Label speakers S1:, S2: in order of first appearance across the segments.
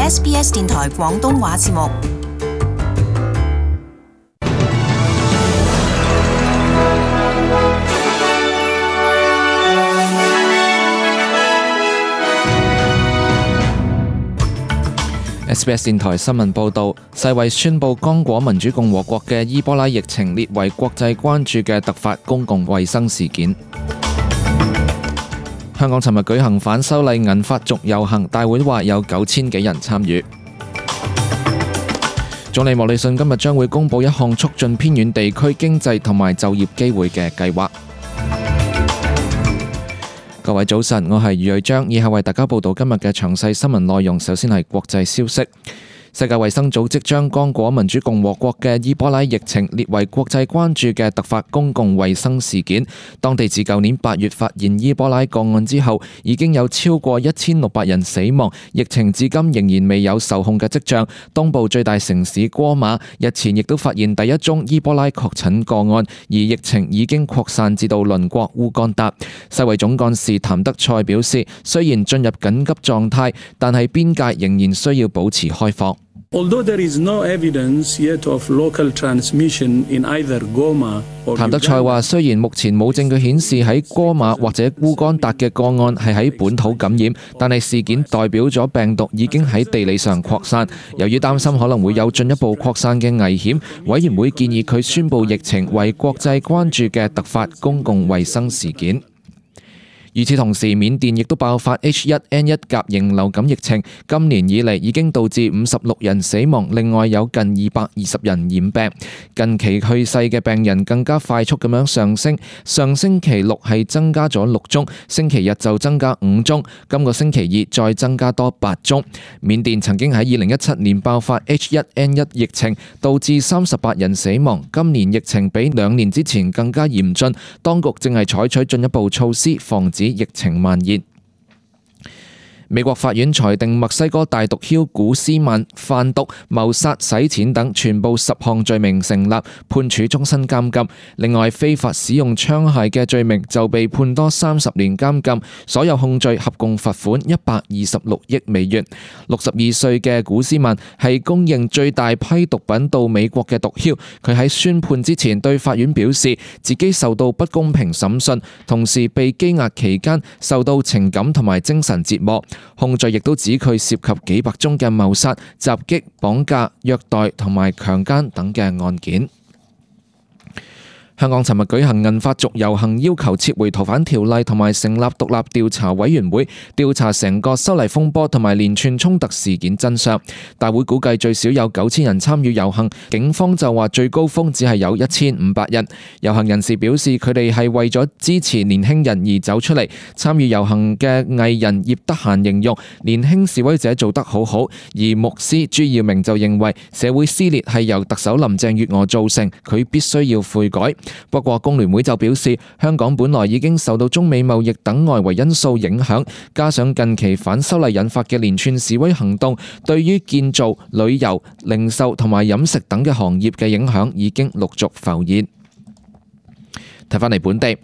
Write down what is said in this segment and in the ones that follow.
S1: SBS 電台廣東話節目。
S2: SBS 電台新聞報導，世衛宣布剛果民主共和國嘅伊波拉疫情列為國際關注嘅突發公共衛生事件。香港尋日舉行反修例銀髮族遊行，大會話有9000幾人參與。總理莫里遜今日將會公布一項促進偏遠地區經濟同埋就業機會嘅計劃。各位早晨，我係余瑞章，以下為大家報道今日嘅詳細新聞內容。首先係國際消息。世界衛生組織將剛果民主共和國嘅伊波拉疫情列為國際關注嘅突發公共衛生事件。當地自舊年8月發現伊波拉個案之後，已經有超過1600人死亡，疫情至今仍然未有受控嘅跡象。東部最大城市戈馬日前亦都發現第一宗伊波拉確診個案，而疫情已經擴散至到鄰國烏干達。世衛總幹事譚德塞表示，雖然進入緊急狀態，但係邊界仍然需要保持開放。
S3: Although there is no evidence yet of local transmission in either Goma or
S2: 譚德塞話：雖然目前冇證據顯示喺戈馬或者烏干達嘅個案係喺本土感染，但係事件代表咗病毒已經喺地理上擴散。由於擔心可能會有進一步擴散嘅危險，委員會建議佢宣布疫情為國際關注嘅突發公共衛生事件。與此同時，緬甸亦都爆發 H1N1 甲型流感疫情，今年以嚟已經導致56人死亡，另外有近220人染病。近期去世嘅病人更加快速咁樣上升，上星期六係增加咗6宗，星期日就增加5宗，今個星期二再增加多8宗。緬甸曾經喺2017年爆發 H1N1 疫情，導致38人死亡，今年疫情比2年之前更加嚴峻，當局正係採取進一步措施防止疫情蔓延。美國法院裁定墨西哥大毒梟古斯曼販毒、謀殺、洗錢等全部10項罪名成立，判處終身監禁。另外，非法使用槍械嘅罪名就被判多30年監禁。所有控罪合共罰款126億美元。62歲嘅古斯曼係公認最大批毒品到美國嘅毒梟。佢喺宣判之前對法院表示，自己受到不公平審訊，同時被羈押期間受到情感同埋精神折磨。控罪亦都指佢涉及幾百宗嘅謀殺、襲擊、綁架、虐待同埋強姦等嘅案件。香港尋日舉行銀髮族遊行，要求撤回逃犯條例同埋成立獨立調查委員會，調查成個修例風波同埋連串衝突事件真相。大會估計最少有9000人參與遊行，警方就話最高峰只係有1500人。遊行人士表示，佢哋係為咗支持年輕人而走出嚟。參與遊行嘅藝人葉德嫻形容年輕示威者做得好好，而牧師朱耀明就認為社會撕裂係由特首林鄭月娥造成，佢必須要悔改。不過工聯會就表示，香港本來已經受到中美貿易等外圍因素影響，加上近期反修例引發嘅連串示威行動，對於建造、旅遊、零售同埋飲食等嘅行業嘅影響已經陸續浮現。睇返嚟本地，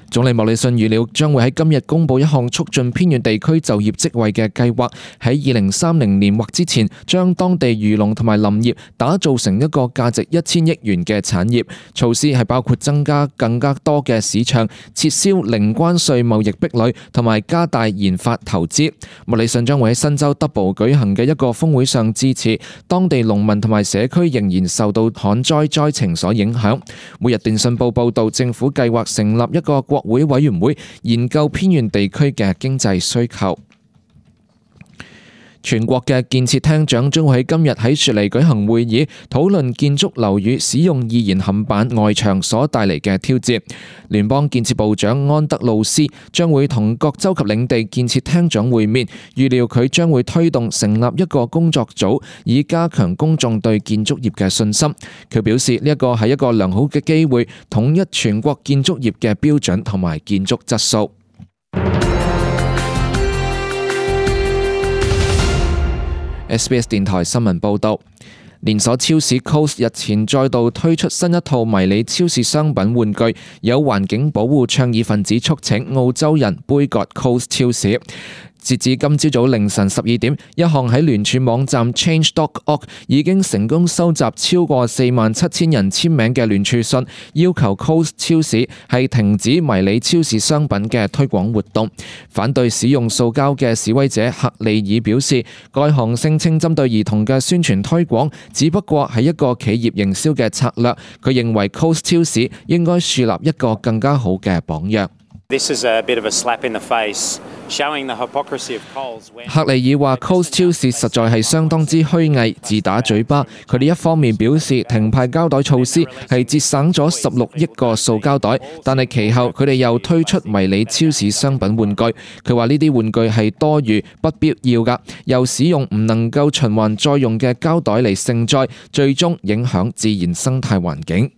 S2: 總理莫里遜預料將會喺今日公布一項促進偏遠地區就業職位嘅計劃，喺2030年或之前將當地漁農同埋林業打造成一個價值1000億元嘅產業。措施係包括增加更加多嘅市場、撤銷零關稅貿易壁壘同埋加大研發投資。莫里遜將會喺新州德堡舉行嘅一個峰會上致辭，當地農民同埋社區仍然受到旱災災情所影響。每日電訊報報道，政府計劃成立一個國會委員會研究偏遠地區嘅經濟需求。全國嘅建設廳長將會喺今日喺雪梨舉行會議，討論建築樓宇使用易燃冚板外牆所帶嚟嘅挑戰。聯邦建設部長安德魯斯將會同各州及領地建設廳長會面，預料佢將會推動成立一個工作組，以加強公眾對建築業嘅信心。佢表示呢一個係一個良好嘅機會，統一全國建築業嘅標準同埋建築質素。SBS 電台新聞報導，連鎖超市 Coles 日前再度推出新一套迷你超市商品玩具，有環境保護倡議分子促請澳洲人杯葛 Coles 超市。截至今朝早凌晨12點，一項喺聯署網站 Change.org 已經成功收集超過47,000人簽名嘅聯署信，要求 Coles 超市係停止迷你超市商品嘅推廣活動。反對使用塑膠嘅示威者克利爾表示，該項聲稱針對兒童嘅宣傳推廣只不過係一個企業營銷嘅策略。佢認為 Coles 超市應該樹立一個更加好嘅榜樣。
S4: This is a bit of a slap in the face, showing the hypocrisy of Coles.
S2: 克利爾話 Coles 超市實在係相當之虛偽、自打嘴巴。佢哋一方面表示停派膠袋措施係節省咗16億個塑膠袋，但係其後佢哋又推出迷你超市商品玩具。佢話呢啲玩具係多餘、不必要㗎，又使用唔能夠循環再用嘅膠袋嚟盛載，最終影響自然生態環境。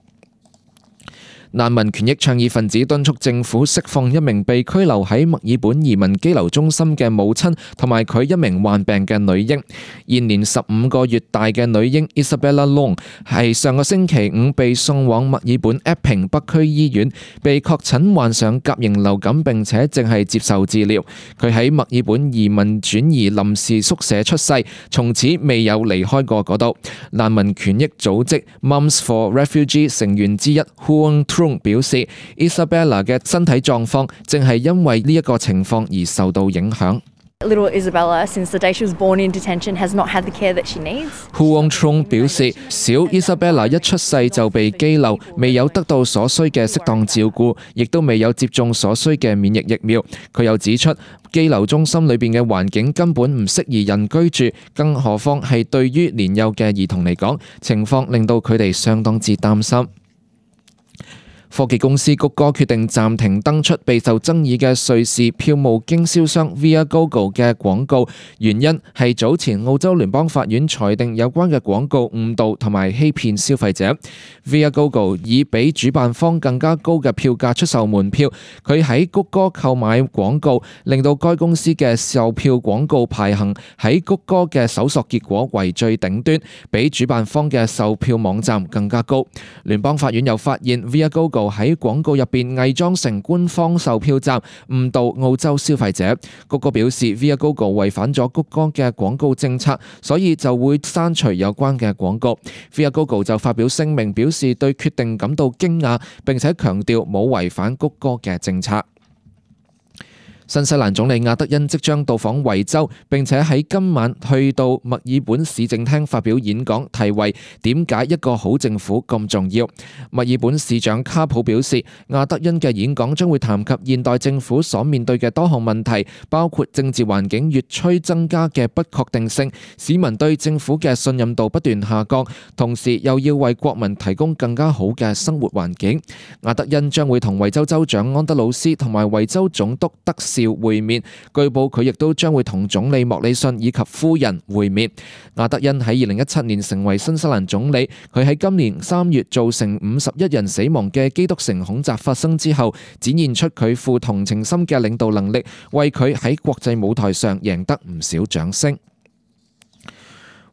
S2: 難民權益倡議分子敦促政府釋放一名被拘留喺墨爾本移民羈留中心嘅母親同埋佢一名患病嘅女嬰。現年15個月大嘅女嬰 Isabella Long 係上個星期五被送往墨爾本 Epping 北區醫院，被確診患上甲型流感並且正係接受治療。佢喺墨爾本移民轉移臨時宿舍出世，從此未有離開過嗰度。難民權益組織 Mums for Refugee 成員之一 Huang表示 Isabella 嘅身體狀況正係因為呢一個情況而受到影響。
S5: Little Isabella, since the day she was born in detention, has not had the care that she needs.
S2: Huang Trung 表示，小 Isabella 一出世就被羈留，未有得到所需嘅適當照顧，亦都未有接種所需嘅免疫疫苗。佢又指出，羈留中心裏邊嘅環境根本唔適宜人居住，更何況係對於年幼嘅兒童嚟講，情況令到佢哋相當之擔心。科技公司谷歌決定暫停登出備受爭議嘅瑞士票務經銷商 Viagogo 嘅廣告，原因係早前澳洲聯邦法院裁定有關嘅廣告誤導同埋欺騙消費者。Viagogo 以比主辦方更加高嘅票價出售門票，佢喺谷歌購買廣告，令到該公司嘅售票廣告排行喺谷歌嘅搜索結果為最頂端，比主辦方嘅售票網站更加高。聯邦法院又發現 Viagogo喺廣告入邊偽裝成官方售票站，誤導澳洲消費者。谷歌表示 Viagogo 違反咗谷歌嘅廣告政策，所以就會刪除有關嘅廣告。Viagogo 就發表聲明，表示對決定感到驚訝，並且強調冇違反谷歌嘅政策。新西蘭總理亞德恩即將到訪維州，並且喺今晚去到墨爾本市政廳發表演講，題為點解一個好政府咁重要。墨爾本市長卡普表示，亞德恩嘅演講將會談及現代政府所面對嘅多項問題，包括政治環境越趨增加嘅不確定性，市民對政府嘅信任度不斷下降，同時又要為國民提供更加好嘅生活環境。亞德恩將會同維州州長安德魯斯同埋維州總督德少會面，據報佢亦都將會同總理莫里遜以及夫人會面。亞德恩喺2017年成為新西蘭總理，佢喺今年3月造成51人死亡嘅基督城恐襲發生之後，展現出佢富同情心嘅領導能力，為佢喺國際舞台上贏得唔少掌聲。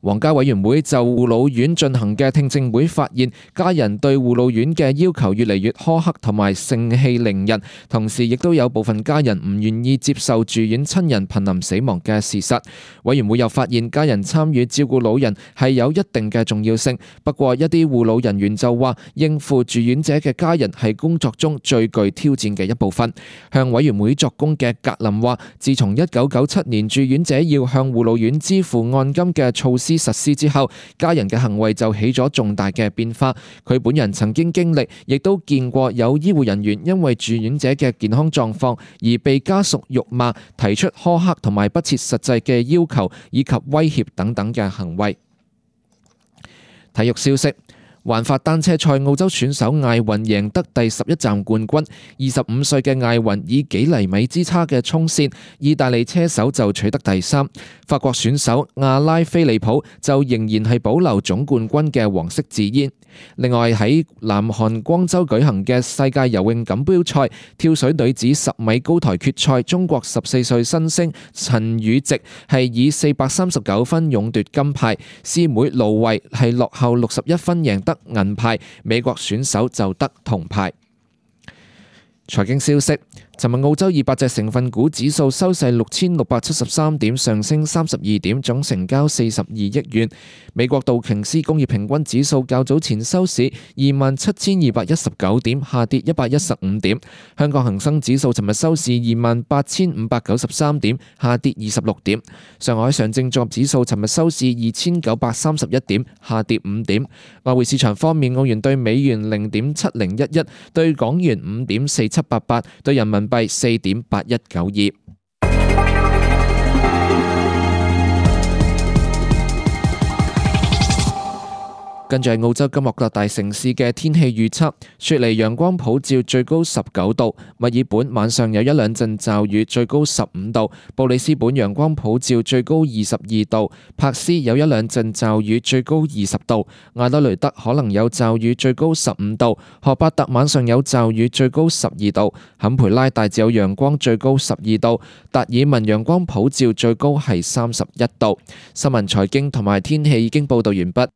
S2: 皇家委員會就護老院進行嘅聽證會發現，家人對護老院嘅要求越嚟越苛刻同埋盛氣凌人，同時亦都有部分家人唔願意接受住院親人瀕臨死亡嘅事實。委員會又發現，家人參與照顧老人係有一定嘅重要性，不過一啲護老人員就話，應付住院者嘅家人係工作中最具挑戰嘅一部分。向委員會作供嘅格林話，自從1997年住院者要向護老院支付按金嘅措施實施之後，家人嘅行為就起咗重大嘅變化。佢本人曾經經歷，亦都見過有醫護人員因為住院者嘅健康狀況而被家屬辱罵、提出苛刻同埋不切實際嘅要求以及威脅等等嘅行為。體育消息。環法單車賽澳洲選手艾雲贏得第11站冠軍，25歲嘅艾雲以幾厘米之差嘅衝線，意大利車手就取得第3，法國選手阿拉菲利普就仍然係保留總冠軍嘅黃色字煙。另外喺南韓光州舉行嘅世界游泳錦標賽跳水女子10米高台決賽，中國14歲新星陳雨汐係以439分勇奪金牌，師妹盧慧係落後61分贏得銀牌，美國選手就得銅牌。財經消息，尋日澳洲200隻成分股指數收市6673點，上升32點，總成交42億元。美國道瓊斯工業平均指數較早前收市27219點，下跌115點。香港恒生指數尋日收市28593點，下跌26點。上海上證綜合指數尋日收市2931點，下跌5點。外匯市場方面，澳元對美元0.7011，對港元5.4788，對人民幣4.8192。跟住係澳洲今日各大城市嘅天氣預測：雪梨陽光普照，最高19度；墨爾本晚上有一兩陣驟雨，最高15度；布里斯本陽光普照，最高22度；珀斯有一兩陣驟雨，最高20度；亞德雷德可能有驟雨，最高15度；荷伯特晚上有驟雨，最高12度；坎培拉大致有陽光，最高12度；達爾文陽光普照，最高係31度。新聞、財經同埋天氣已經報道完畢。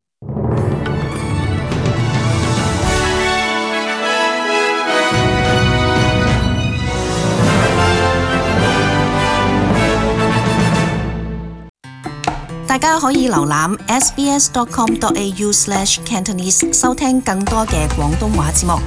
S1: 大家可以瀏覽 sbs.com.au/cantonese 收聽更多嘅廣東話節目。